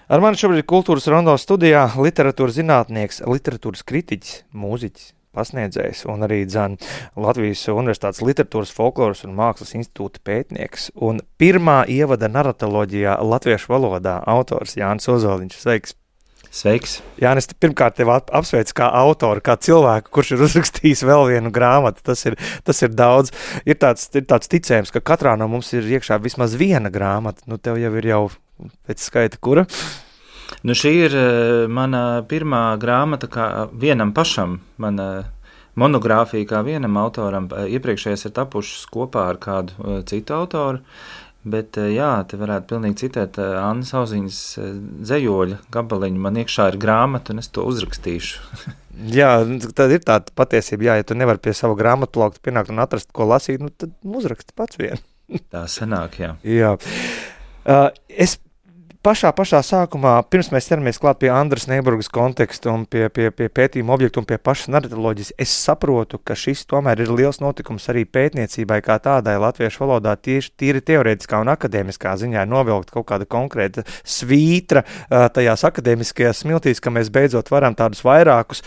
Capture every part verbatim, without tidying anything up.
Ar mani šobrīd kultūras rondo studijā literatūras zinātnieks, literatūras kritiķis, mūziķis, pasniedzējs un arī dzan Latvijas Universitātes literatūras, folkloras un mākslas institūta pētnieks un pirmā ievada naratoloģijā latviešu valodā autors Jānis Ozoliņš. Sveiks! Sveiks! Jānis, pirmkārt tev apsveic kā autoru, kā cilvēku, kurš ir uzrakstījis vēl vienu grāmatu. Tas ir, tas ir daudz. Ir tāds, ir tāds ticējums, ka katrā no mums ir iekšā vismaz viena grāmata. Nu, tev jau ir jau pēc skaita kura? Nu, šī ir mana pirmā grāmata kā vienam pašam, mana monogrāfija kā vienam autoram. Iepriekšējais ir tapušas kopā ar kādu citu autoru, bet jā, te varētu pilnīgi citēt Annas Auziņas dzejoļa gabaliņu. Man iekšā ir grāmata un es to uzrakstīšu. Jā, tad ir tāda patiesība, jā, ja tu nevari pie sava grāmatu plaukta pienākt un atrast, ko lasīt, nu tad uzraksti pats vien. Tā sanāk, jā. Jā. Uh, es Pašā, pašā sākumā, pirms mēs ķeramies klāt pie Andras Neiburgas konteksta un pie, pie, pie pētījuma objektu un pie pašas naratoloģijas, es saprotu, ka šis tomēr ir liels notikums arī pētniecībai kā tādai latviešu valodā tieši tīri teorētiskā un akadēmiskā ziņā novilkt kaut kāda konkrēta svītra tajās akadēmiskajās smiltīs, ka mēs beidzot varam tādus vairākus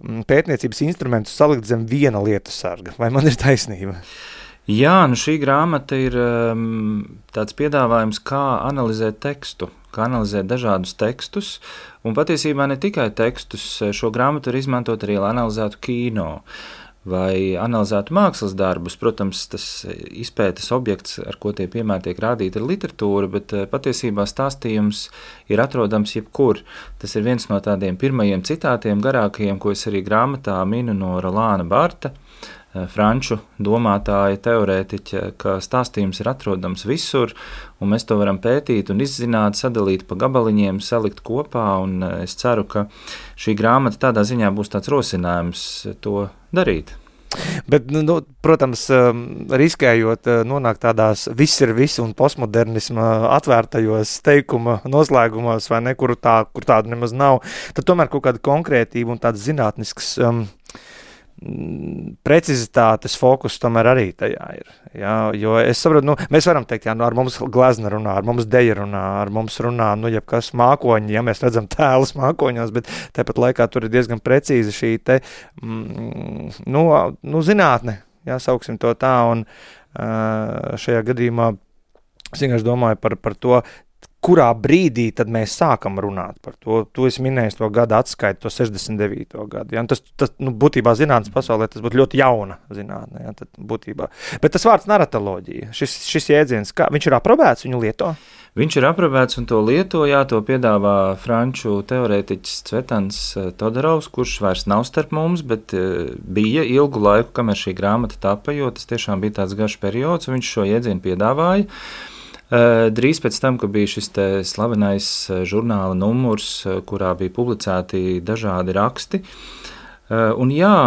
pētniecības instrumentus salikt zem viena lietu sarga. Vai man ir taisnība? Jā, nu šī grāmata ir um, tāds piedāvājums, kā analizēt tekstu, kā analizēt dažādus tekstus, un patiesībā ne tikai tekstus. Šo grāmatu var izmantot arī, lai analizētu kino vai analizētu mākslas darbus. Protams, tas izpētes objekts, ar ko tie piemēri tiek rādīti, ir literatūra, bet patiesībā stāstījums ir atrodams jebkur. Tas ir viens no tādiem pirmajiem citātiem garākajiem, ko es arī grāmatā minu no Rolāna Barta, franču domātāja, teorētiķa, ka stāstījums ir atrodams visur, un mēs to varam pētīt un izzināt, sadalīt pa gabaliņiem, salikt kopā, un es ceru, ka šī grāmata tādā ziņā būs tāds rosinājums to darīt. Bet, nu, protams, riskējot nonākt tādās viss ir viss un postmodernisma atvērtajos teikuma noslēgumos, vai ne, kur, tā, kur tādu nemaz nav, tad tomēr kaut kāda konkrētība un tādas zinātniskas um, precizitātes fokus tomēr arī tajā ir. Jā, jo es saprotu, nu, mēs varam teikt, jā, nu, ar mums glezna runā, ar mums deja runā, ar mums runā, nu, jebkas mākoņi, ja mēs redzam tēlus mākoņos, bet tāpat laikā tur ir diezgan precīzi šī te, mm, nu, nu, zinātne, jā, sauksim to tā, un uh, šajā gadījumā es vienkārši domāju par, par to, kurā brīdī tad mēs sākam runāt par to. Tu esi minējis to gadu atskaitu, to sešdesmit devīto gadu. Ja? Tas, tas nu, būtībā zinātnes pasaulē tas būtu ļoti jauna zinātne. Ja? Tad būtībā. Bet tas vārds naratoloģija, šis, šis jēdziens, kā, viņš ir aprobēts, viņu lieto? Viņš ir aprobēts un to lieto, jā, to piedāvā franču teorētiķis Cvetans Todorovs, kurš vairs nav starp mums, bet bija ilgu laiku, kamēr šī grāmata tapa, jo tas tiešām bija tāds garš periods, un viņš šo jēdzienu piedāvāja. Drīz pēc tam, kad bija šis te slavenais žurnāla numurs, kurā bija publicēti dažādi raksti. Un jā,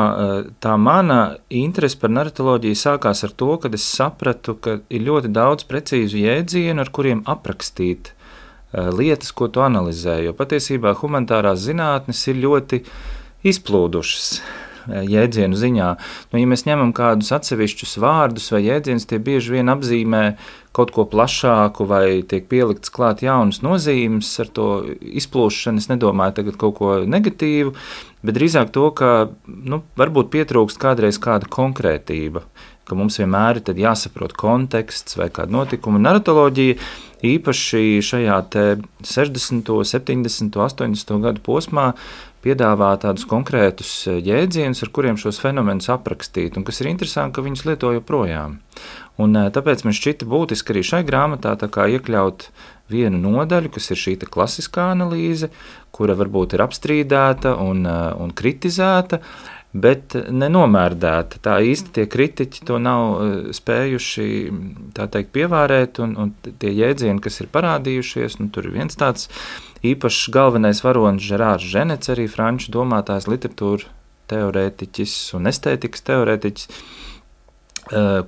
tā mana interese par naratoloģiju sākās ar to, kad es sapratu, ka ir ļoti daudz precīzu jēdzienu, ar kuriem aprakstīt lietas, ko tu analizē, jo patiesībā humanitārās zinātnes ir ļoti izplūdušas jēdzienu ziņā. Nu, ja mēs ņemam kādus atsevišķus vārdus vai jēdzienus, tie bieži vien apzīmē kaut ko plašāku vai tiek pielikts klāt jaunas nozīmes ar to izplūšanu. Es nedomāju tagad kaut ko negatīvu, bet drīzāk to, ka nu, varbūt pietrūkst kādreiz kāda konkrētība, ka mums vienmēr ir tad jāsaprot konteksts vai kāda notikuma. Naratoloģija īpaši šajā te sešdesmito, septiņdesmito, astoņdesmito gadu posmā piedāvā tādus konkrētus jēdzienus, ar kuriem šos fenomenus aprakstīt, un kas ir interesanti, ka viņus lieto joprojām. Un tāpēc man šķita būtiski arī šai grāmatā tā kā iekļaut vienu nodaļu, kas ir šī klasiskā analīze, kura varbūt ir apstrīdēta un, un kritizēta, bet nenomērdēta. Tā īsti tie kritiķi to nav spējuši, tā teikt, pievērēt, un, un tie jēdzieni, kas ir parādījušies, nu, tur ir viens tāds īpašs galvenais varonis Žerārs Ženets, arī franču domātājs, literatūra teorētiķis un estētikas teorētiķis,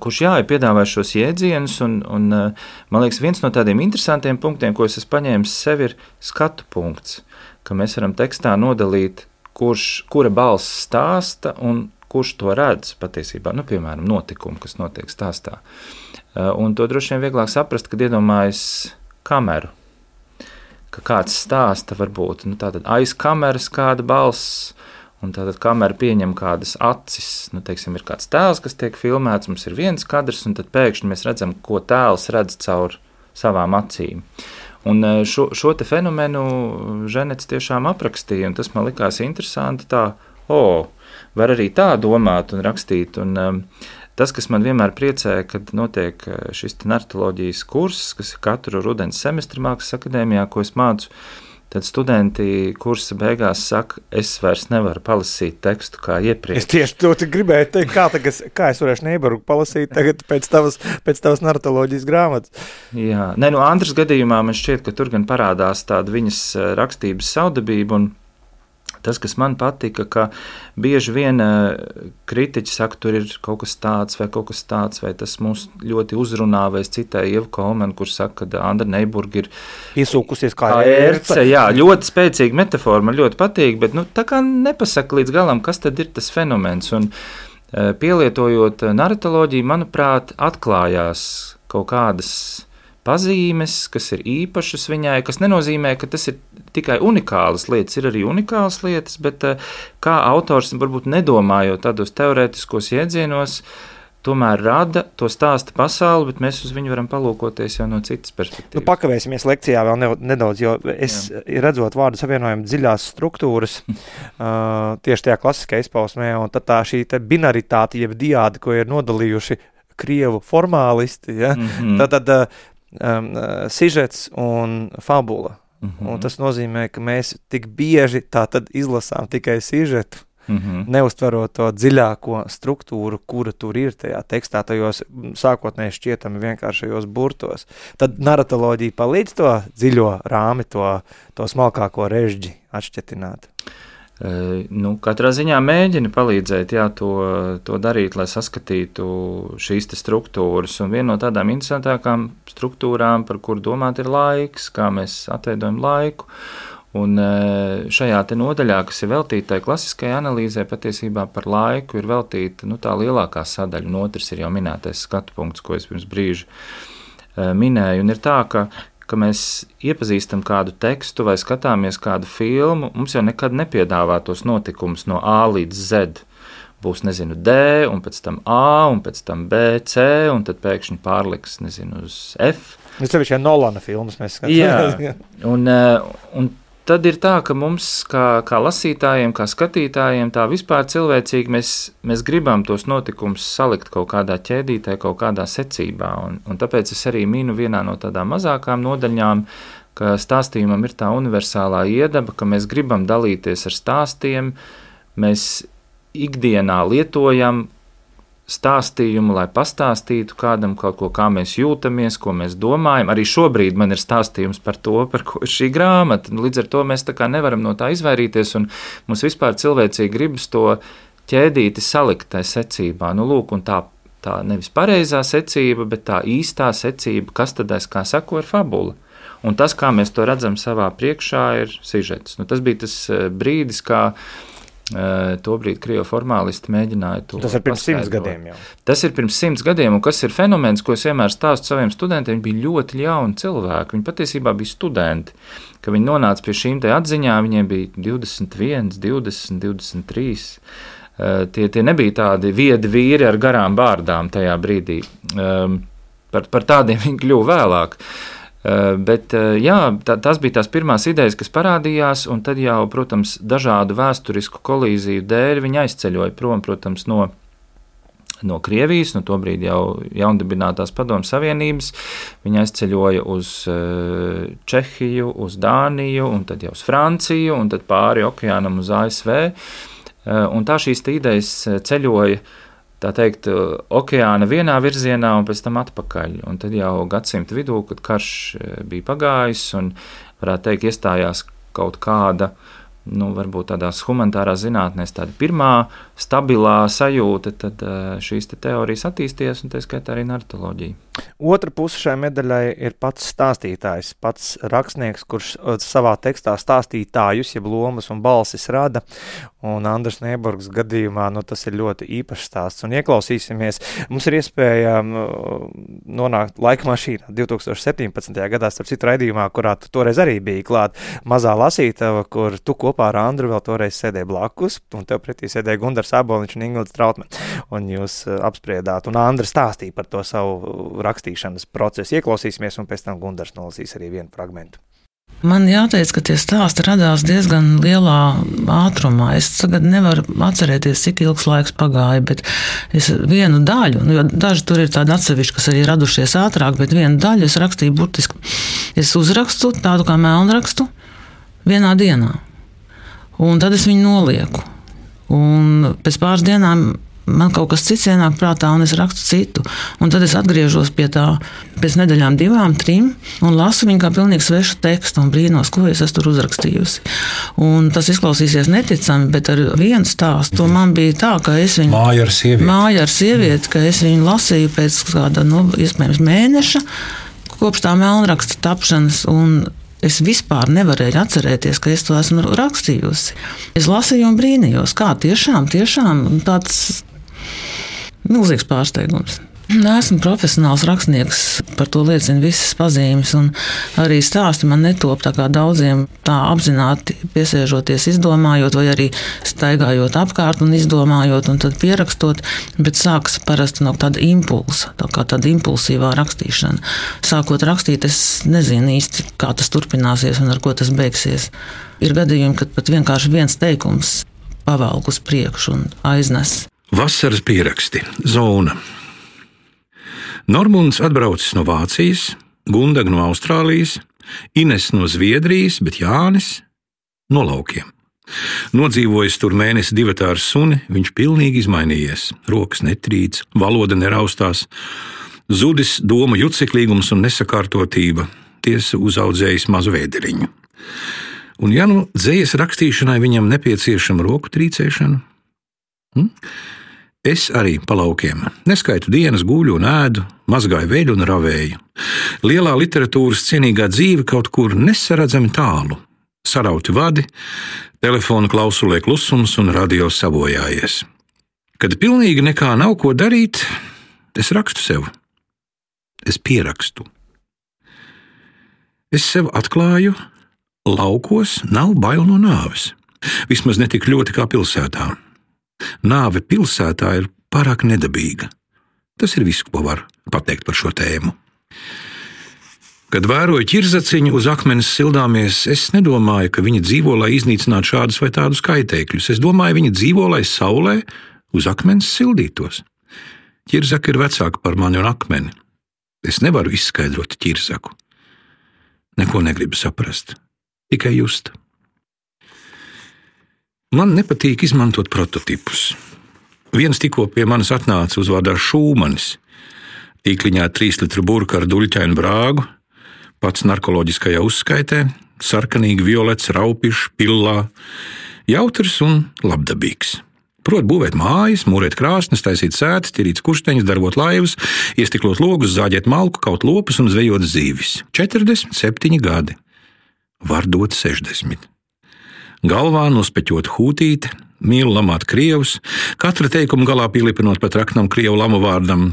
kurš jā, ir piedāvājis šos jēdzienus, un, un man liekas, viens no tādiem interesantiem punktiem, ko es esmu paņēmis sev, ir skatu punkts, ka mēs varam tekstā nodalīt, kurš, kura balss stāsta un kurš to redz patiesībā, nu, piemēram, notikumu, kas notiek stāstā. Un to droši vien vieglāk saprast, kad iedomājas kameru. Ka kāds stāsta, varbūt nu, aiz kameras kāda balss, un tātad kamera pieņem kādas acis. Nu, teiksim, ir kāds tēls, kas tiek filmēts, mums ir viens kadrs, un tad pēkšņi mēs redzam, ko tēls redz caur savām acīm. Un šo, šo te fenomenu Ženets tiešām aprakstīja, un tas man likās interesanti tā, o, var arī tā domāt un rakstīt, un um, tas, kas man vienmēr priecē, kad notiek šis narratoloģijas kurs, kas ir katru rudens semestri Mākslas akadēmijā, ko es mācu, tad studenti kursa beigās saka, es vairs nevaru palasīt tekstu kā iepriekš. Es tieši to gribēju teikt, kā, tagad, kā es varēšu Neiburgu palasīt tagad pēc tavas, pēc tavas narratoloģijas grāmatas. Jā, ne, nu Andras gadījumā man šķiet, ka tur gan parādās tāda viņas rakstības saudabība, un tas, kas man patika, ka bieži vien kritiķi saka, tur ir kaut kas tāds vai kaut kas tāds, vai tas mūs ļoti uzrunā, vai es citēju Ievu Kolmanu, kur saka, ka Andra Neiburga ir iesūkusies kā ērce. Jā, ļoti spēcīga metafora, man ļoti patīk, bet nu, tā kā nepasaka līdz galam, kas tad ir tas fenomens. Un pielietojot narratoloģiju, manuprāt, atklājās kaut kādas pazīmes, kas ir īpašas viņai, kas nenozīmē, ka tas ir tikai unikālas lietas, ir arī unikālas lietas, bet kā autors, varbūt nedomājot tādos teorētiskos iedzienos, tomēr rada to stāsta pasauli, bet mēs uz viņu varam palūkoties jau no citas perspektīvas. Nu, pakavēsimies lekcijā vēl ne, nedaudz, jo es Jā. redzot vārdu savienojumu dziļās struktūras, uh, tieši tajā klasiskajā izpausmē, un tad tā šī te binaritāte, jeb diādi, ko ir nodalījuši krievu formālisti, ja? mm-hmm. tad, tad uh, Um, uh, sižets un fabula. Mm-hmm. Un tas nozīmē, ka mēs tik bieži tā tad izlasām tikai sižetu, mm-hmm. neuztverot to dziļāko struktūru, kura tur ir tajā tekstā, tajos sākotnēji šķietami vienkāršajos burtos. Tad narratoloģija palīdz to dziļo rāmi, to, to smalkāko režģi atšķetināt. Nu, katrā ziņā mēģina palīdzēt jā, to, to darīt, lai saskatītu šīs te struktūras. Un viena no tādām interesantākām struktūrām, par kuru domāt, ir laiks, kā mēs atveidojam laiku. Un šajā te nodaļā, kas ir veltīta tai klasiskajai analīzē, patiesībā par laiku ir veltīta nu, tā lielākā sadaļa, un otrs ir jau minētais skatu punkts, ko es pirms brīža minēju. Un ir tā, ka ka mēs iepazīstam kādu tekstu vai skatāmies kādu filmu, mums jau nekad nepiedāvā tos notikumus no A līdz Z. Būs, nezinu, D, un pēc tam A, un pēc tam B, C, un tad pēkšņi pārliks, nezinu, uz F. Mēs tev šajā Nolana filmas mēs skatāmies. Jā, un, un tad ir tā, ka mums, kā, kā lasītājiem, kā skatītājiem, tā vispār cilvēcīgi mēs, mēs gribam tos notikumus salikt kaut kādā ķēdītē, kaut kādā secībā. Un, un tāpēc es arī minu vienā no tādām mazākām nodaļām, ka stāstījumam ir tā universālā iedaba, ka mēs gribam dalīties ar stāstiem, mēs ikdienā lietojam stāstījumu, lai pastāstītu kādam kaut ko, kā mēs jūtamies, ko mēs domājam. Arī šobrīd man ir stāstījums par to, par ko ir šī grāmata. Līdz ar to mēs tā kā nevaram no tā izvairīties, un mums vispār cilvēcīgi gribas to ķēdīti salikt tai secībā. Nu, lūk, un tā, tā nevis pareizā secība, bet tā īstā secība, kas tad aiz kā sako, ir fabula. Un tas, kā mēs to redzam savā priekšā, ir sižets. Nu, tas bija tas brīdis, kā tobrīd krievu formālisti mēģināja to Tas ir pirms simts gadiem jau. Tas ir pirms simts gadiem, un kas ir fenomens, ko es vienmēr stāstu saviem studentiem, viņi bija ļoti jauni cilvēki, viņi patiesībā bija studenti, ka viņi nonāca pie šīm te atziņām, viņiem bija divdesmit viens, divdesmit, divdesmit trīs, tie, tie nebija tādi viedi vīri ar garām bārdām tajā brīdī, par, par tādiem viņi kļuva vēlāk. Bet jā, tā, tās bija tās pirmās idejas, kas parādījās, un tad jau, protams, dažādu vēsturisku kolīziju dēļ viņi aizceļoja prom, protams, no, no Krievijas, no tobrīd jau jaundibinātās Padomju Savienības. Viņi aizceļoja uz Čehiju, uz Dāniju, un tad jau uz Franciju, un tad pāri okeānam uz A S V. Un tā šīs idejas ceļoja, tā teikt, okeāna vienā virzienā un pēc tam atpakaļ. Un tad jau gadsimta vidū, kad karš bija pagājis un, varētu teikt, iestājās kaut kāda, nu, varbūt tādās humanitārās zinātnēs tāda pirmā stabilā sajūta, tad šīs te teorijas attīstījās un tā skaitā arī narratoloģija. Otra puse šai medaļai ir pats stāstītājs, pats rakstnieks, kurš savā tekstā stāstītājus, jeb lomas un balsis rada, un Andris Nieburgas gadījumā, nu, tas ir ļoti īpašs stāsts, un ieklausīsimies, mums ir iespēja nonākt laika mašīnā divi tūkstoši septiņpadsmitajā gadā, starp citu raidījumā, kurā tu toreiz arī biji klāt, mazā lasītava, kur tu kopā ar Andru vēl toreiz sēdēji blakus, un tev pretī sēdēja Gundars Āboliņš un Ingvilds Trautmane, un jūs apspriedāt, un Andra stāstīja par to savu rakstīšanas procesu. Ieklausīsimies, un pēc tam Gundars nolasīs arī vienu fragmentu. Man jāteic, ka tie stāsti radās diezgan lielā ātrumā. Es tagad nevaru atcerēties, cik ilgs laiks pagāja, bet es vienu daļu, nu, jo daži tur ir tādi atsevišķi, kas arī radušies ātrāk, bet vienu daļu es rakstīju burtiski. Es uzrakstu tādu kā melnrakstu vienā dienā, un tad es viņu nolieku. Un pēc pāris dienām man kaut kas cits ienāk prātā, un es rakstu citu. Un tad es atgriežos pie tā pēc nedēļām divām, trim, un lasu viņu kā pilnīgi svešu tekstu un brīnos, ko es esmu tur uzrakstījusi. Un tas izklausīsies neticami, bet ar vienu stāstu man bija tā, ka es viņu... Māja ar sievieti. Māja ar sievieti, ka es viņu lasīju pēc kāda, nu, iespējams mēneša, kopš tā melnraksta tapšanas, un es vispār nevarēju atcerēties, ka es to esmu rakstījusi. Es lasīju un brīnījos, kā tiešām, tiešām tāds milzīgs pārsteigums. Neesmu profesionāls rakstnieks, par to liecina visas pazīmes, un arī stāsti man netop tā kā daudziem tā apzināti piesēžoties, izdomājot, vai arī staigājot apkārt un izdomājot, un tad pierakstot, bet sākas parasti no tāda impulsa, tā kā tāda impulsīvā rakstīšana. Sākot rakstīt, es nezinu īsti, kā tas turpināsies un ar ko tas beigsies. Ir gadījumi, kad pat vienkārši viens teikums pavelk uz priekšu un aiznes. Vasaras pieraksti. Zona. Normunds atbraucis no Vācijas, Gundaga no Austrālijas, Ines no Zviedrijas, bet Jānis no laukiem. Nodzīvojis tur mēnesi divatā ar suni, viņš pilnīgi izmainījies. Rokas netrīc, valoda neraustās, zudis domu juceklīgums un nesakārtotība, tiesa uzaudzējis mazu vēderiņu. Un ja nu dzejas rakstīšanai viņam nepieciešama roku trīcēšana? Hm? Es arī pa laukiem. Neskaitu dienas, guļu un ēdu, mazgāju veļu un ravēju. Lielā literatūras cienīgā dzīve kaut kur nesaredzami tālu. Sarauti vadi, telefona klausulē klusums un radio sabojājies. Kad pilnīgi nekā nav ko darīt, es rakstu sev. Es pierakstu. Es sev atklāju, laukos nav bail no nāves. Vismaz ne tik ļoti kā pilsētā. Nāve pilsētā ir pārāk nedabīga. Tas ir viss, ko var pateikt par šo tēmu. Kad vēroju ķirzaciņu uz akmenes sildāmies, es nedomāju, ka viņi dzīvo, lai iznīcinātu šādus vai tādus kaitēkļus. Es domāju, viņi dzīvo, lai saulē uz akmenes sildītos. Ķirzaka ir vecāka par mani un akmeni. Es nevaru izskaidrot ķirzaku. Neko negribu saprast, tikai just. Man nepatīk izmantot prototipus. Viens tikko pie manis atnāca uzvārdā Šūmanis. Tīkliņā trīs litru burka ar duļķainu brāgu, pats narkoloģiskajā uzskaitē, sarkanīgi violets, raupišs, pillā, jautrs un labdabīgs. Prot būvēt mājas, mūrēt krāsnes, taisīt sētas, tirīt skursteņus, darbot laivas, iestiklot logus, zāģēt malku, kaut lopus un zvejot zīvis. četrdesmit septiņi gadi. Var dot sešdesmit. Galvā nospeķot hūtīte, mīl lamāt krievus, katra teikuma galā pielipinot pat raknam krievu lamu vārdam.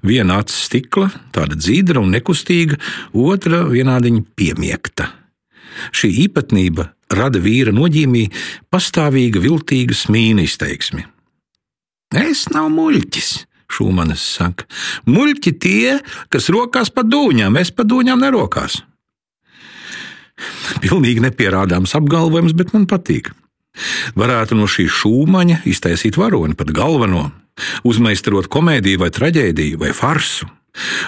Viena acis stikla, tāda dzīdra un nekustīga, otra vienādiņa piemiekta. Šī īpatnība rada vīra noģīmī pastāvīga, viltīga smīna izteiksmi. Es nav muļķis, Šūmanis saka. Muļķi tie, kas rokās pa dūņām, es pa dūņām nerokās. Pilnīgi nepierādāms apgalvojums, bet man patīk. Varētu no šī Šūmaņa iztaisīt varoni, pat galveno, uzmeistarot komēdiju vai traģēdiju vai farsu.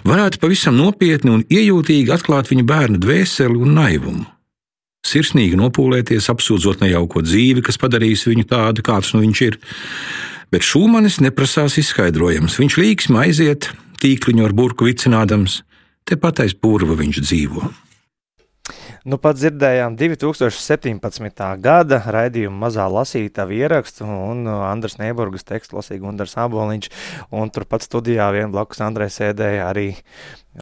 Varētu pavisam nopietni un iejūtīgi atklāt viņa bērnu dvēseli un naivumu. Sirsnīgi nopūlēties, apsūdzot nejauko dzīvi, kas padarīs viņu tādu, kāds nu viņš ir. Bet Šūmanis neprasās izskaidrojums. Viņš līksmi aiziet, tīkliņu ar burku vicinādams, tepat aiz purva viņš dzīvo. Nu, pat dzirdējām divi tūkstoši septiņpadsmitā gada raidījumu mazā lasītava ierakstu, un Andras Nieburgas tekstu lasīja Gundars Āboliņš, un turpat studijā vien blakus Andrei sēdēja arī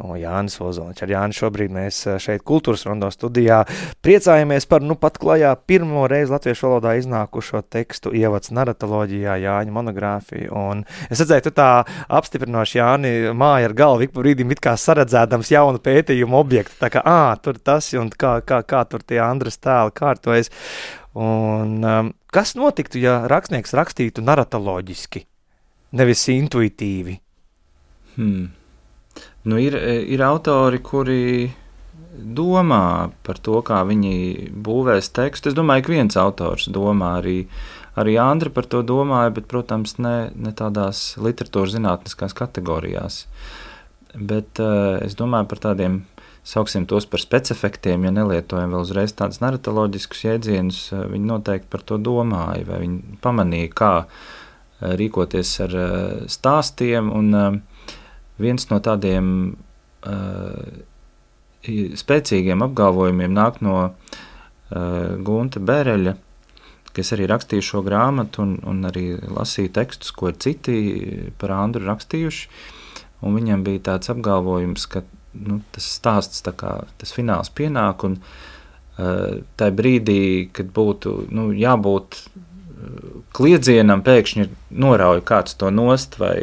O, Jānis Ozoliņš. Ar Jāni šobrīd mēs šeit Kultūras Rondo studijā priecājamies par nu pat klajā pirmo reizi latviešu valodā iznākušo tekstu ievads naratoloģijā Jāņa monogrāfiju. Un es redzēju, tu tā apstiprinoši, Jāni, māja ar galvu ik pa brīdim it kā saredzēdams jaunu pētījumu objektu. Tā kā, ā, tur tas un kā, kā, kā tur tie Andras tēli kārtojas. Un um, kas notiktu, ja rakstnieks rakstītu naratoloģiski, nevis intuitīvi? Hmm. Nu, ir, ir autori, kuri domā par to, kā viņi būvēs tekstu. Es domāju, ka viens autors domā, arī, arī Andra par to domāja, bet, protams, ne, ne tādās literatūras zinātniskās kategorijās. Bet uh, es domāju par tādiem, sauksim tos par specifektiem, ja nelietojam vēl uzreiz tādus naratoloģiskus jēdzienus, uh, viņi noteikti par to domāja, vai viņi pamanīja, kā uh, rīkoties ar uh, stāstiem, un uh, viens no tādiem uh, spēcīgiem apgalvojumiem nāk no uh, Gunta Bereļa, kas arī rakstīja šo grāmatu un, un arī lasīja tekstus, ko citi par Andru rakstījuši. Un viņam bija tāds apgalvojums, ka nu, tas stāsts, tā kā tas fināls pienāk, un uh, tajā brīdī, kad būtu nu, jābūt kliedzienam, pēkšņi norauj kāds to nost vai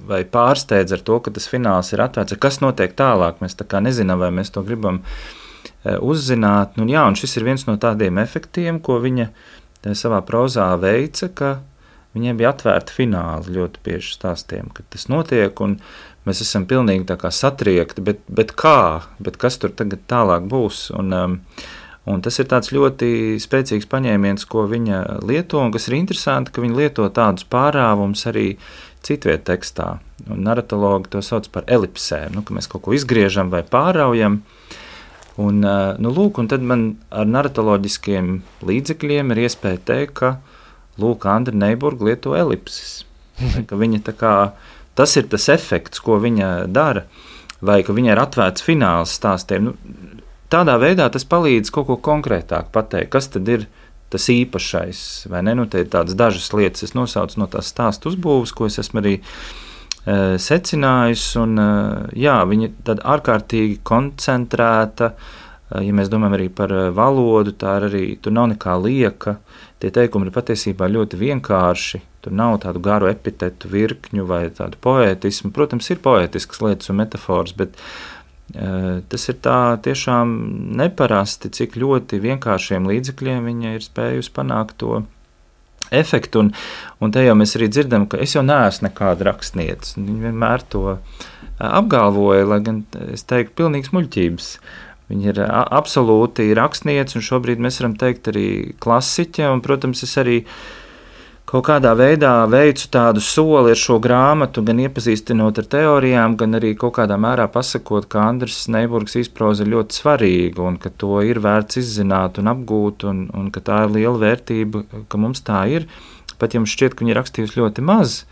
vai pārsteidz ar to, ka tas fināls ir atvērts. Kas notiek tālāk? Mēs tā kā nezinām, vai mēs to gribam uzzināt. Nu, jā, un šis ir viens no tādiem efektiem, ko viņa savā prozā veica, ka viņiem bija atvērti fināli ļoti bieži stāstiem, kad tas notiek, un mēs esam pilnīgi tā kā satriekti, bet, bet kā? Bet kas tur tagad tālāk būs? Un, um, un tas ir tāds ļoti spēcīgs paņēmiens, ko viņa lieto, un kas ir interesanti, ka viņa lieto tādus pārāvumus arī citviet tekstā. Un naratologi to sauc par elipsēm, nu, ka mēs kaut ko izgriežam vai pāraujam. Un, nu, lūk, un tad man ar naratoloģiskiem līdzekļiem ir iespēja teikt, ka lūk, Andra Neiburga lieto elipses. Ka viņa tā kā, tas ir tas efekts, ko viņa dara, vai ka viņai ir atvērts fināls stāstiem. Nu, tādā veidā tas palīdz kaut ko konkrētāk pateikt, kas tad ir tas īpašais, vai ne? Nu, te ir tādas dažas lietas, es nosaucu no tās stāstu uzbūves, ko es esmu arī e, secinājis, un e, jā, viņa tad ārkārtīgi koncentrēta, e, ja mēs domājam arī par valodu, tā ir arī, tur nav nekā lieka, tie teikumi ir patiesībā ļoti vienkārši, tur nav tādu garu epitetu virkņu vai tādu poētismu, protams, ir poētiskas lietas un metaforas, bet tas ir tā tiešām neparasti, cik ļoti vienkāršiem līdzekļiem viņa ir spējusi panākt to efektu. Un, un te jau mēs arī dzirdam, ka es jau neesmu nekāda rakstniece. Viņa vienmēr to apgalvoja, lai gan es teiktu pilnīgs muļķības. Viņa ir absolūti rakstniece, un šobrīd mēs varam teikt arī klasiķe, un, protams, es arī kaut kādā veidā veicu tādu soli ar šo grāmatu, gan iepazīstinot ar teorijām, gan arī kaut kādā mērā pasakot, ka Andras Neiburgas izproza ir ļoti svarīga un ka to ir vērts izzināt un apgūt un, un ka tā ir liela vērtība, ka mums tā ir. Pat ja mums šķiet, ka viņa ir rakstījusi ļoti maz,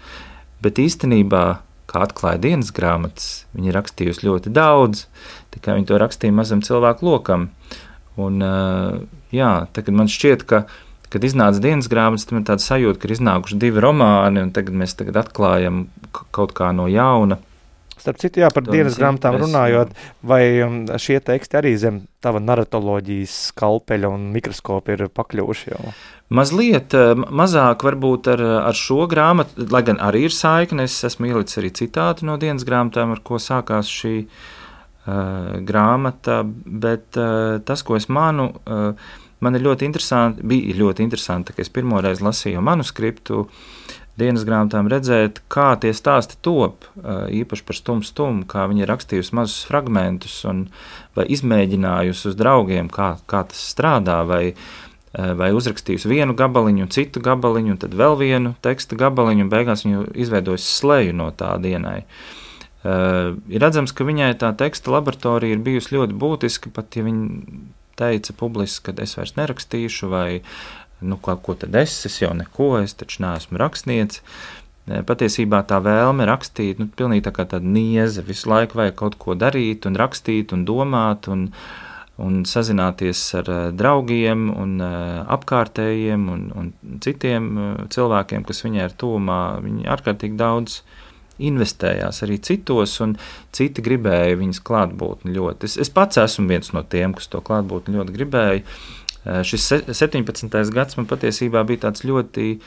bet īstenībā, kā atklāja dienas grāmatas, viņa ir rakstījusi ļoti daudz, tikai viņa to rakstīja mazam cilvēku lokam. Un jā, tagad man šķiet, ka kad iznāca dienas grāmatas, tam ir tāda sajūta, ka ir iznākuši divi romāni, un tagad mēs tagad atklājam kaut kā no jauna. Starp citu, jā, par dienas grāmatām runājot, vai šie teksti arī zem tava naratoloģijas skalpeļa un mikroskopa ir pakļuvuši jau? Mazliet mazāk varbūt ar, ar šo grāmatu, lai gan arī ir saikne, es esmu ielicis arī citātu no dienas grāmatām, ar ko sākās šī uh, grāmata, bet uh, tas, ko es manu, uh, man ir ļoti interesanti, bija ļoti interesanti, ka es pirmoreiz lasīju manuskriptu dienas grāmatām redzēt, kā tie stāsti top, īpaši par Stum Stum, kā viņi ir rakstījusi mazus fragmentus un vai izmēģinājusi uz draugiem, kā, kā tas strādā, vai, vai uzrakstījusi vienu gabaliņu un citu gabaliņu, un tad vēl vienu teksta gabaliņu, un beigās viņu izveidojusi sleju no tā dienai. Uh, ir redzams, ka viņai tā teksta laboratorija ir bijusi ļoti būtiska, pat ja viņa teica publiski, ka es vairs nerakstīšu, vai, nu, ko, ko tad es, es jau neko, es taču neesmu rakstniece. Patiesībā tā vēlme rakstīt, nu, pilnīgi tā kā tāda nieze, visu laiku vajag kaut ko darīt, un rakstīt, un domāt, un, un sazināties ar draugiem, un apkārtējiem, un, un citiem cilvēkiem, kas viņai ir tuvumā. Viņi ārkārtīgi daudz investējās arī citos, un citi gribēja viņas klātbūtni ļoti. Es, es pats esmu viens no tiem, kas to klātbūtni ļoti gribēja. Šis septiņpadsmitais gads man patiesībā bija tāds ļoti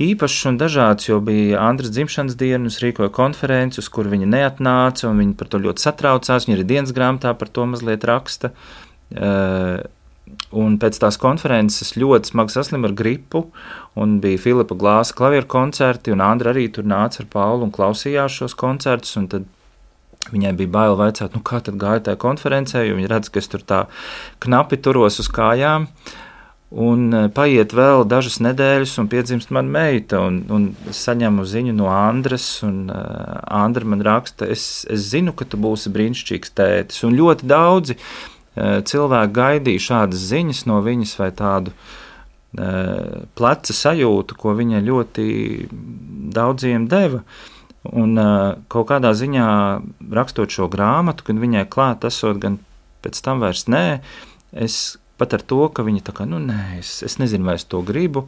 īpašs un dažāds, jo bija Andras dzimšanas diena, es rīkoju konferenci, uz kur viņa neatnāca, un viņa par to ļoti satraucās, viņa arī dienas grāmatā par to mazliet raksta. Un pēc tās konferences ļoti smagi saslimu ar gripu, un bija Filipa Glāsa klavieru koncerti, un Andra arī tur nāca ar Paulu un klausījās šos koncertus, un tad viņai bija bail vaicāt, nu kā tad gāja tajā konferencē, jo viņa redz, ka es tur tā knapi turos uz kājām, un paiet vēl dažas nedēļas, un piedzimst man meita, un, un es saņemu ziņu no Andras, un uh, Andra man raksta, es, es zinu, ka tu būsi brīnišķīgs tētis, un ļoti daudzi uh, cilvēki gaidīja šādas ziņas no viņas vai tādu uh, pleca sajūtu, ko viņa ļoti daudziem deva. Un uh, kaut kādā ziņā rakstot šo grāmatu, kad viņai klāt esot gan pēc tam vairs nē, es pat ar to, ka viņa tā kā, nu nē, es, es nezinu, vai es to gribu,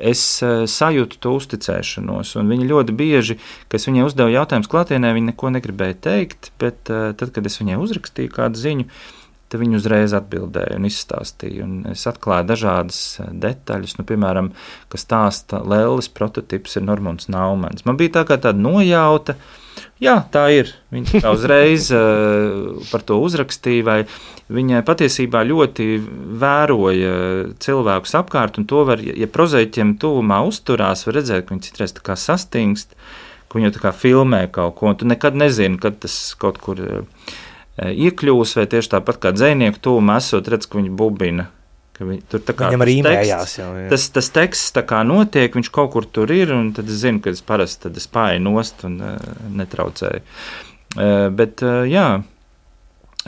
es uh, sajūtu to uzticēšanos, un viņa ļoti bieži, kad es viņai uzdevu jautājumus klātienē, viņa neko negribēja teikt, bet uh, tad, kad es viņai uzrakstīju kādu ziņu, tad viņa uzreiz atbildēja un izstāstīja, un es atklāju dažādas detaļas, nu, piemēram, ka stāsta Lelles prototips ir Normons Naumans. Man bija tā kā tāda nojauta, jā, tā ir, viņa tā uzreiz uh, par to uzrakstīja, vai viņa patiesībā ļoti vēroja cilvēkus apkārt, un to var, ja prozaiķiem tuvumā uzturās, var redzēt, ka viņi citreiz tā kā sastingst, ka viņi tā kā filmē kaut ko, un tu nekad nezini, kad tas kaut kur uh, iekļūs, vai tieši tāpat kā dzejnieku tuvumā esot, redz, ka viņi bubina. Ka viņi, tur tā kā viņam arī teksts, jau, jā. tas, tas teksts tā kā notiek, viņš kaut kur tur ir, un tad es zinu, ka es parasti tad es pāju nost un uh, netraucēju. Uh, bet, uh, jā,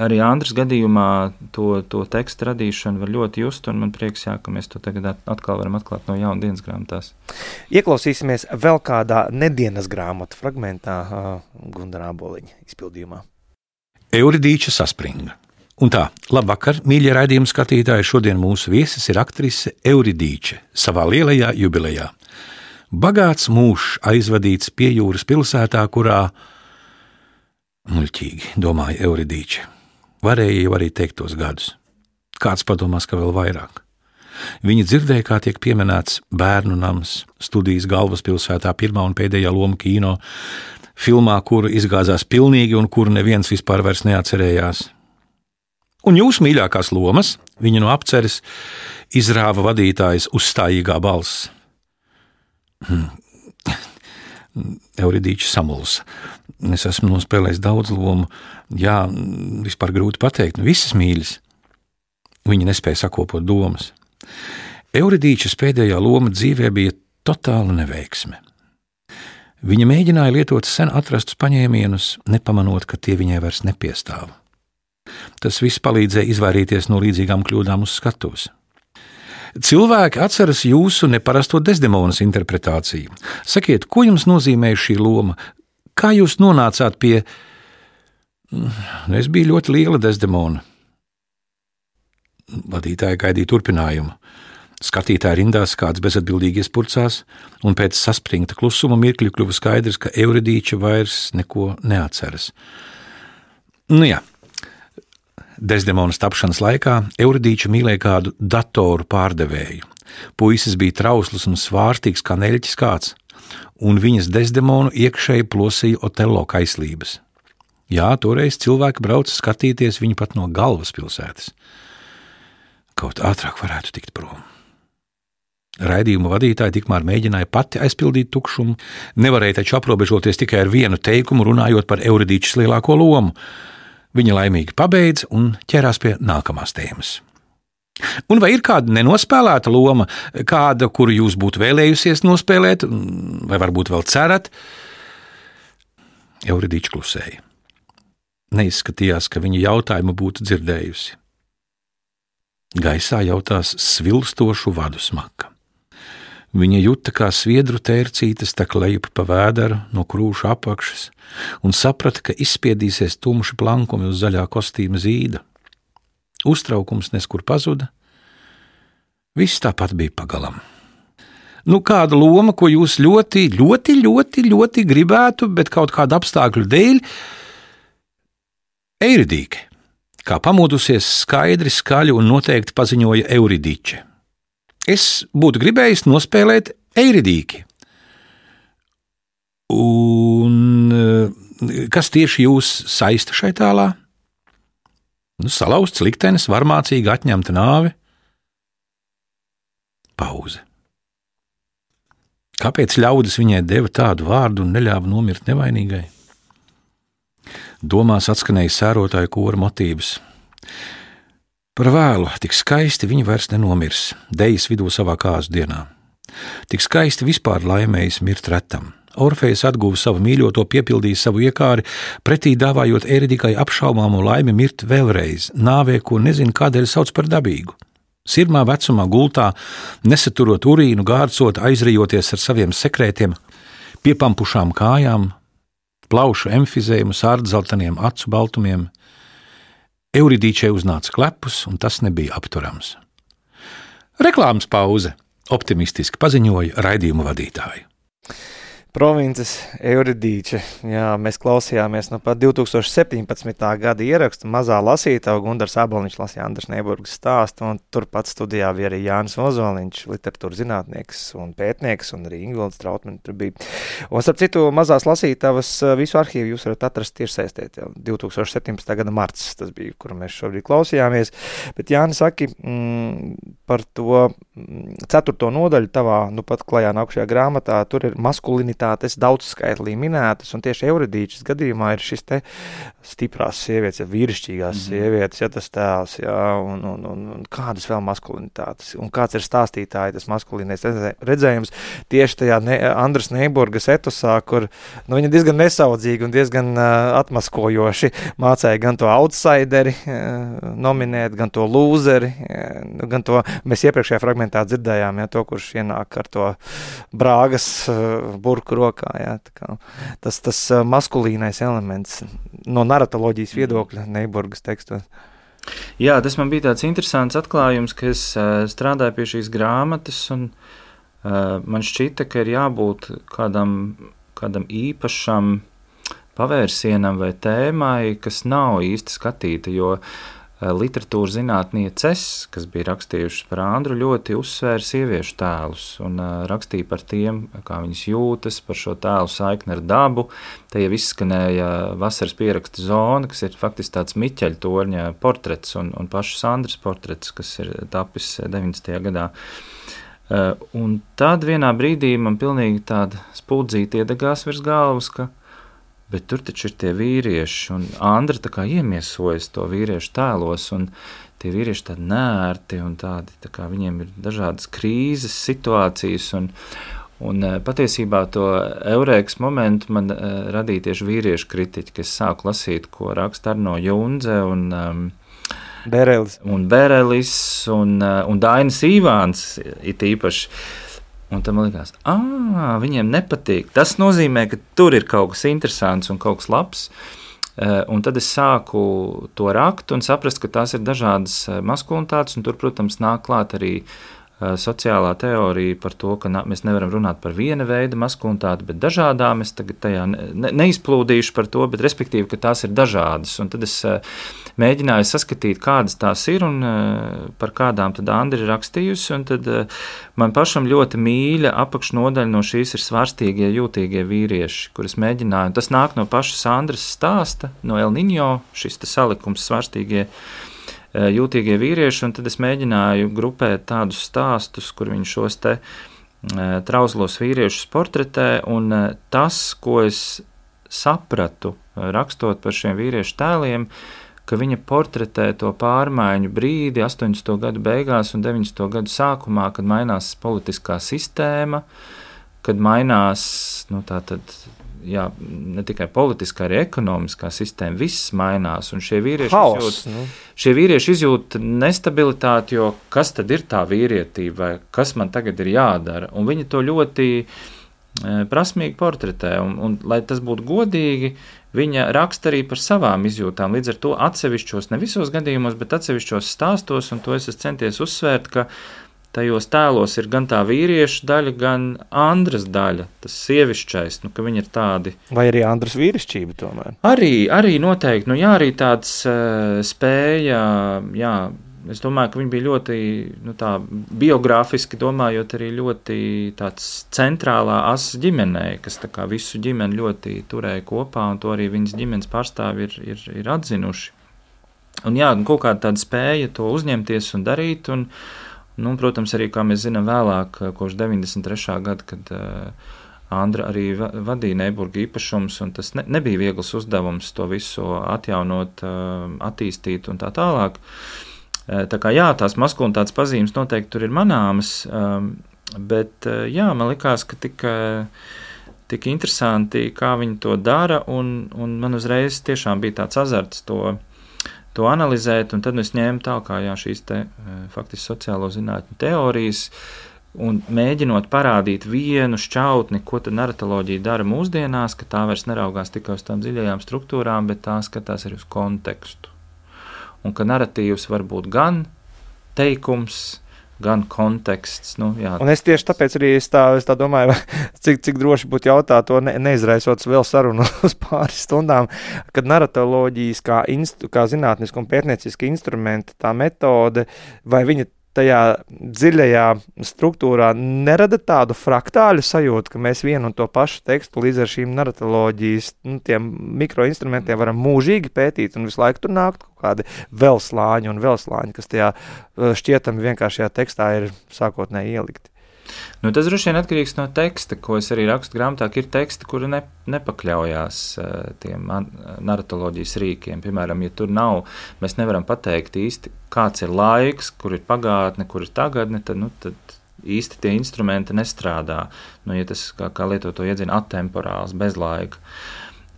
arī Andras gadījumā to, to tekstu radīšanu var ļoti just, un man prieks, jā, ka mēs to tagad atkal varam atklāt no jauna dienas grāmatās. Ieklausīsimies vēl kādā nedienas grāmatu fragmentā uh, Gunara Āboliņa izpildījumā. Euridīča saspringa. Un tā, labvakar, mīļie raidījuma skatītāji, šodien mūsu viesis ir aktrise Euridīča savā lielajā jubilejā. Bagāts mūžs aizvadīts pie jūras pilsētā, kurā, muļķīgi, domāja Euridīča, varēja jau arī teikt tos gadus. Kāds padomās, ka vēl vairāk. Viņa dzirdēja, kā tiek pieminēts bērnu nams, studijas galvaspilsētā pirmā un pēdējā loma kino, filmā, kuru izgāzās pilnīgi un kuru neviens vispār vairs neatcerējās. Un jūsu mīļākās lomas, viņa no apceres, izrāva vadītājs uzstājīgā balss. Hmm. Euridīča samulsa. Es esmu nospēlējis daudz lomu. Jā, vispār grūti pateikt, nu visas mīļas. Viņa nespēja sakopot domas. Euridīčas pēdējā loma dzīvē bija totāla neveiksme. Viņa mēģināja lietot sen atrastus paņēmienus, nepamanot, ka tie viņai vairs nepiestāv. Tas viss palīdzēja izvairīties no līdzīgām kļūdām uz skatuves. Cilvēki atceras jūsu neparasto Desdemonas interpretāciju. Sakiet, ko jums nozīmē šī loma? Kā jūs nonācāt pie... Es biju ļoti liela Desdemona. Vadītāja gaidīja turpinājumu. Skatītāji rindās, kāds bezatbildīgi iespurcās, un pēc saspringta klusuma mirkļa kļuva skaidrs, ka Euridīča vairs neko neatceras. Nu jā, Desdemonas tapšanas laikā Euridīča mīlēja kādu datoru pārdevēju. Puisis bija trausls un svārstīgs kā neļķis kāds, un viņas Desdemonu iekšēji plosīja Otello kaislības. Jā, toreiz cilvēki brauca skatīties viņu pat no galvaspilsētas. Kaut ātrāk varētu tikt prom. Raidījuma vadītāja tikmēr mēģināja pati aizpildīt tukšumu, nevarēja taču aprobežoties tikai ar vienu teikumu, runājot par Euridīčas lielāko lomu. Viņa laimīgi pabeidza un ķērās pie nākamās tēmas. Un vai ir kāda nenospēlēta loma, kāda, kuru jūs būtu vēlējusies nospēlēt, vai varbūt vēl cerat? Euridīča klusēja. Neizskatījās, ka viņa jautājumu būtu dzirdējusi. Gaisā jautās svilstošu vadu smaka. Viņa juta, kā sviedru tērcītes tek lejup pa vēderu no krūša apakšas un saprata, ka izspiedīsies tumši plankumi uz zaļā kostīma zīda. Uztraukums neskur pazuda, viss tāpat bija pagalam. Nu, kāda loma, ko jūs ļoti, ļoti, ļoti, ļoti gribētu, bet kaut kādu apstākļu dēļ, Eiridīke, kā pamodusies skaidri, skaļi un noteikti paziņoja Euridiče. Es būtu gribējis nospēlēt Eiridīki. Un kas tieši jūs saista šai tēlā? Nu, salauzts liktenis, varmācīgi atņemta nāve. Pauze. Kāpēc ļaudis viņai deva tādu vārdu un neļāva nomirt nevainīgai? Domās atskanēja sērotāju kora motīvs. Par vēlu, tik skaisti viņa vairs nenomirs, dejas vidū savā kāzu dienā. Tik skaisti vispār laimējas mirt retam. Orfejs atguva savu mīļoto, piepildīja savu iekāri, pretī dāvājot Eiridikai apšaubāmo laimi mirt vēlreiz, nāvē, ko nezinu kādēļ sauc par dabīgu. Sirmā vecumā gultā, nesaturot urīnu, gārcot, aizrijoties ar saviem sekrētiem, piepampušām kājām, plaušu emfizējumu, sārdzelteniem acu baltumiem. Euridīčai uznāca klepus, un tas nebija apturams. Reklāmas pauze, optimistiski paziņoja raidījumu vadītāju. Provinces Euridiče. Jā, mēs klausījāmies no pat divi tūkstoši septiņpadsmitā gada ierakstu mazā lasītāja, Gundars Aboliņš lasīja Andras Neiburgas stāstu, un turpat studijā bija arī Jānis Ozoliņš, literatūras zinātnieks un pētnieks, un arī Ingvilds Trautmane tur bija. Un starp citu, mazās lasītavas visu arhīvu jūs varat atrast tiešsaistē, divi tūkstoši septiņpadsmitā gada marts, tas bija, kuru mēs šobrīd klausījāmies. Bet Jāni, saki mm, par to ceturto nodaļu tavā, nu pat klajā nākušajā grāmatā, tur ir maskulinitāte daudzskaitlī minētas, un tieši Euridīčas gadījumā ir šis te stiprās sievietes, ja vīrišķīgās mm-hmm. sievietes, ja tas tēls, jā, un, un, un, un kādas vēl maskulinitātes, un kāds ir stāstītāji tas maskulinais redzējums tieši tajā ne, Andras Neiburgas etosā, kur nu, viņa diezgan nesaudzīgi un diezgan uh, atmaskojoši mācēja gan to outsideri uh, nominēt, gan to lūzeri, uh, gan to, mēs iepriekšējā fragmentā dzirdējām, ja, to, kurš ienāk ar to brāgas uh, burku rokā, jā, tā kā tas, tas maskulīnais elements no naratoloģijas viedokļa Neiburgas tekstos. Jā, tas man bija tāds interesants atklājums, ka es uh, strādāju pie šīs grāmatas, un uh, man šķita, ka ir jābūt kādam, kādam īpašam pavērsienam vai tēmai, kas nav īsti skatīta, jo literatūras zinātnieces, kas bija rakstījušas par Andru, ļoti uzsvēra sieviešu tēlus un uh, rakstīja par tiem, kā viņas jūtas, par šo tēlu saikni ar dabu. Te jau izskanēja vasaras pieraksta zona, kas ir faktiski tāds Miķeļa torņa portrets un, un pašas Andras portrets, kas ir tapis deviņdesmitajā gadā. Uh, un tad vienā brīdī man pilnīgi tāda spuldzīte iedegās virs galvas, ka bet tur taču ir tie vīrieši, un Andra tā kā iemiesojas to vīriešu tēlos, un tie vīrieši tādi nērti, un tādi, tā kā viņiem ir dažādas krīzes situācijas, un, un patiesībā to eurēkas momentu man uh, radīja tieši vīriešu kritiķi, kas sāku lasīt, ko raksta Arno Junze, un um, Berelis, un, Berelis un, uh, un Dainis Īvāns it īpaši. Un tad man likās, ā, viņiem nepatīk. Tas nozīmē, ka tur ir kaut kas interesants un kaut kas labs. Un tad es sāku to rakt un saprast, ka tās ir dažādas maskulinitātes, un tur, protams, nāk klāt arī sociālā teorija par to, ka mēs nevaram runāt par viena veida maskulinitāti, bet dažādām. Es tagad tajā ne, neizplūdīšu par to, bet respektīvi, ka tās ir dažādas. Un tad es mēģināju saskatīt, kādas tās ir un par kādām tad Andra ir rakstījusi. Un tad man pašam ļoti mīļa apakšnodaļa no šīs ir svārstīgie, jūtīgie vīrieši, kuras mēģināju. Tas nāk no pašas Andras stāsta, no El Niño, šis te salikums svārstīgie jūtīgie vīrieši, un tad es mēģināju grupēt tādus stāstus, kur viņi šos te trauslos vīriešus portretē, un tas, ko es sapratu, rakstot par šiem vīriešu tēliem, ka viņa portretē to pārmaiņu brīdi astoņdesmito gadu beigās un deviņdesmito gadu sākumā, kad mainās politiskā sistēma, kad mainās, nu tā tad, jā, ne tikai politiskā, arī ekonomiskā sistēma, viss mainās, un šie vīrieši, Haos, izjūt, nu. šie vīrieši izjūt nestabilitāti, jo kas tad ir tā vīrietība, vai kas man tagad ir jādara, un viņi to ļoti e, prasmīgi portretē, un, un lai tas būtu godīgi, viņa raksta arī par savām izjūtām, līdz ar to atsevišķos, ne visos gadījumos, bet atsevišķos stāstos, un to es esmu centies uzsvērt, ka tajos tēlos ir gan tā vīrieša daļa, gan Andras daļa, tas sievišķais, nu, ka viņi ir tādi. Vai arī Andras vīrišķība tomēr? Arī, arī noteikti, nu jā, arī tāds uh, spēja, jā, es domāju, ka viņi bija ļoti, nu tā, biogrāfiski domājot arī ļoti tāds centrālā asa ģimenei, kas tā kā visu ģimeni ļoti turēja kopā, un to arī viņas ģimenes pārstāvi ir, ir, ir atzinuši. Un jā, kaut kāda tāda spēja to uzņemties un darīt, un Nu, protams, arī, kā mēs zinām, vēlāk, kopš deviņdesmit trešā gada, kad uh, Andra arī va- vadīja Neiburga īpašums, un tas ne, nebija viegls uzdevums to visu atjaunot, uh, attīstīt un tā tālāk. Uh, tā kā jā, tās maskulinitātes pazīmes noteikti tur ir manāmas, um, bet uh, jā, man likās, ka tik, uh, tik interesanti, kā viņi to dara, un, un man uzreiz tiešām bija tāds azarts to to analizēt, un tad es ņēmu tā kā jā, šīs te faktiski sociālo zinātņu teorijas un mēģinot parādīt vienu šķautni, ko tad naratoloģija dara mūsdienās, ka tā vairs neraugās tikai uz tām dziļajām struktūrām, bet tā skatās arī uz kontekstu. Un ka naratīvs var būt gan teikums, gan konteksts. Nu, jā. Un es tieši tāpēc arī es tā, es tā domāju, cik, cik droši būtu jautāt to, ne, neizraisot vēl sarunu uz pāris stundām, kad naratoloģijas kā, instu, kā zinātniska un pētnieciska instrumenta, tā metode, vai viņa tajā dziļajā struktūrā nerada tādu fraktāļu sajūtu, ka mēs vienu un to pašu tekstu līdz ar šīm naratoloģijas nu, tiem mikroinstrumentiem varam mūžīgi pētīt un visu laiku tur nākt kaut kādi vēl slāņi un vēl slāņi, kas tajā šķietami vienkāršajā tekstā ir sākotnēji ielikti. Nu, tas droši vien atkarīgs no teksta, ko es arī rakstu grāmatā, ka ir teksti, kuri ne, nepakļaujās uh, tiem naratoloģijas rīkiem. Piemēram, ja tur nav, mēs nevaram pateikt īsti, kāds ir laiks, kur ir pagātne, kur ir tagadne, tad, nu, tad īsti tie instrumenti nestrādā. Nu, ja tas, kā, kā lietot to iedzina, atemporāls, bez laika.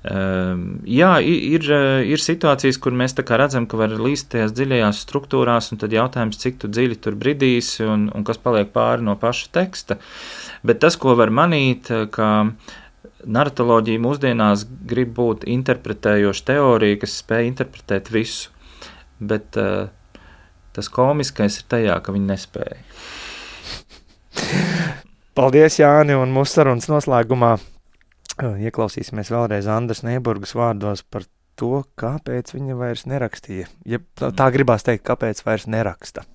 Uh, jā, ir, ir situācijas, kur mēs tā kā redzam, ka var līst tajās dziļajās struktūrās, un tad jautājums, cik tu dziļi tur bridīsi un, un kas paliek pāri no paša teksta. Bet tas, ko var manīt, ka naratoloģija mūsdienās grib būt interpretējoša teorija, kas spēj interpretēt visu, bet uh, tas komiskais ir tajā, ka viņi nespēja. Paldies, Jāni, un mūsu sarunas noslēgumā ieklausīsimies vēlreiz Andras Neiburgas vārdos par to, kāpēc viņa vairs nerakstīja. Ja tā gribās teikt, kāpēc vairs neraksta.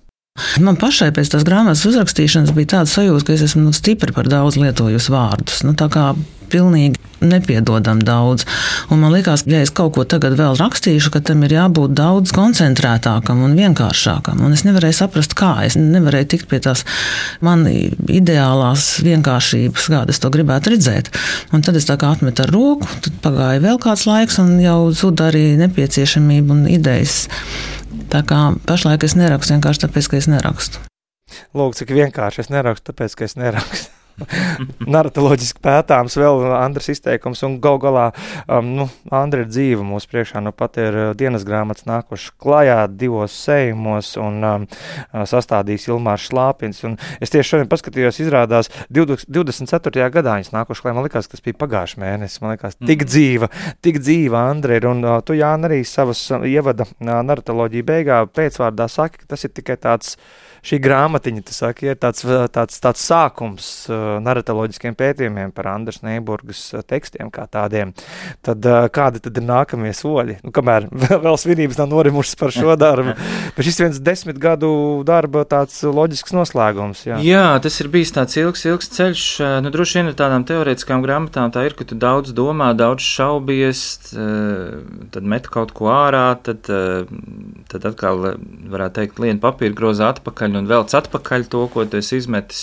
Man pašai pēc tās grāmatas uzrakstīšanas bija tāda sajūta, ka es esmu nu, stipri par daudz lietojusi vārdus. Nu, tā kā pilnīgi nepiedodam daudz. Un man liekas, ja es kaut ko tagad vēl rakstīšu, ka tam ir jābūt daudz koncentrētākam un vienkāršākam. Un es nevarēju saprast, kā. Es nevarēju tikt pie tās man ideālās vienkāršības, kāda es to gribētu redzēt. Un tad es tā kā atmetu ar roku, tad pagāja vēl kāds laiks un jau zuda arī nepieciešamība un idejas. Tā kā pašlaik es nerakstu vienkārši tāpēc, ka es nerakstu. Lūk, cik vienkārši es nerakstu, tāpēc, ka es nerakstu. Naratoloģiski pētāms vēl Andras izteikums, un gal galā, um, nu, Andra ir dzīva mūsu priekšā, nu pat ir dienas grāmatas nākuši klajā divos sējumos, un um, sastādījis Ilmārs Šlāpins, un es tieši šodien paskatījos, izrādās divdesmit ceturtajā gadā viņas nākuši klajā, man likās, kas bija pagājuši mēnesis, man likās, tik dzīva, tik dzīva Andra ir, un uh, tu, Jāni, arī savas uh, ievada uh, naratoloģija beigā pēcvārdā saki, ka tas ir tikai tāds, šī grāmatiņa, tu saki, ir tāds, tāds, tāds sākums uh, naratoloģiskiem pētījumiem par Andras Neiburgas uh, tekstiem kā tādiem. Tad uh, kādi tad ir nākamie soļi? Nu, kamēr vēl svinības nav norimušas par šo darbu, bet šis viens desmit gadu darba tāds loģisks noslēgums. Jā, jā tas ir bijis tāds ilgs, ilgs ceļš. Nu, droši vien ar tādām teorētiskām grāmatām tā ir, ka tu daudz domā, daudz šaubies, tad met kaut ko ārā, tad, tad atkal, varētu teikt, lien papīra groza atpakaļ un velc atpakaļ to, ko tu esi izmetis.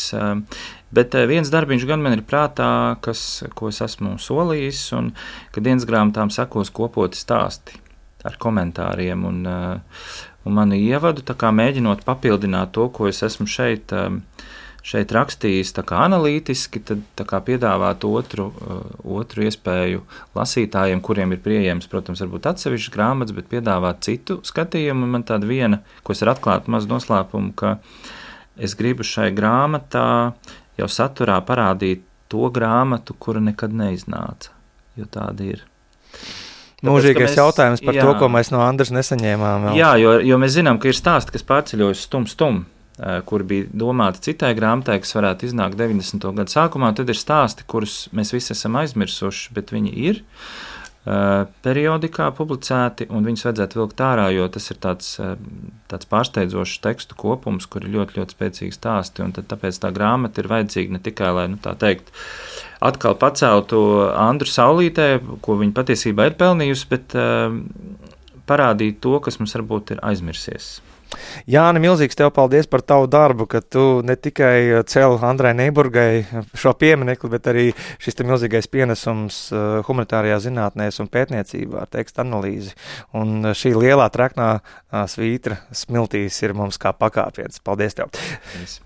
Bet viens darbiņš gan man ir prātā, kas, ko es esmu solījis, un ka dienas grāmatām sekos kopoti stāsti ar komentāriem un, un mani ievadu, tā kā mēģinot papildināt to, ko es esmu šeit, šeit rakstījis, tā kā analītiski, tad tā kā piedāvāt otru, otru iespēju lasītājiem, kuriem ir pieejams, protams, varbūt atsevišķas grāmatas, bet piedāvāt citu skatījumu. Un man tāda viena, ko es ar atklātu mazu noslēpumu, ka es gribu šai grāmatā jau saturā parādīt to grāmatu, kura nekad neiznāca, jo tāda ir. Mūžīgais mēs, jautājums par jā. To, ko mēs no Andras nesaņēmām. Vēl. Jā, jo, jo mēs zinām, ka ir stāsti, kas pārceļojas stum stum. kuri bija domāti citai grāmatai, kas varētu iznākt deviņdesmito gadu sākumā, tad ir stāsti, kurus mēs visi esam aizmirsuši, bet viņi ir periodikā publicēti, un viņus vajadzētu vilkt ārā, jo tas ir tāds, tāds pārsteidzošs tekstu kopums, kur ir ļoti, ļoti spēcīgi stāsti, un tad tāpēc tā grāmata ir vajadzīga ne tikai, lai, nu tā teikt, atkal paceltu Andru saulītē, ko viņa patiesībā ir pelnījusi, bet uh, parādīt to, kas mums varbūt ir aizmirsies. Jāni, milzīgs tev paldies par tavu darbu, ka tu ne tikai cēli Andrai Neiburgai šo pieminekli, bet arī šis te milzīgais pienesums humanitārajā zinātnēs un pētniecībā ar tekstu analīzi. Un šī lielā treknā svītra smiltīs ir mums kā pakāpiens. Paldies tev! Paldies.